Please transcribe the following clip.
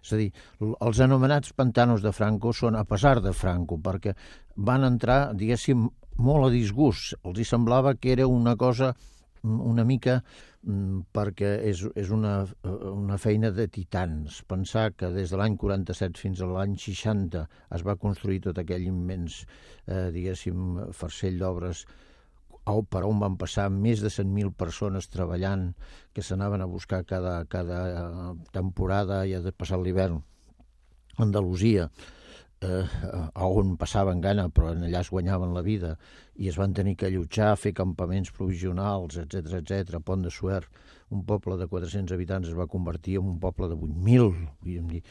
És a dir, els anomenats pantanos de Franco són a pesar de Franco, perquè van entrar, diguéssim, molt a disgust. Els hi semblava que era una cosa una mica perquè és una feina de titans. Pensar que des de l'any 47 fins a l'any 60 es va construir tot aquell immens, diguéssim, farcell d'obres per on van passar més de 100.000 persones treballant, que s'anaven a buscar cada temporada i ha passat l'hivern a Andalusia, on passaven gana, però allà es guanyaven la vida, i es van tenir que allotjar, fer campaments provisionals, etc. Pont de Suert, un poble de 400 habitants es va convertir en un poble de 8.000.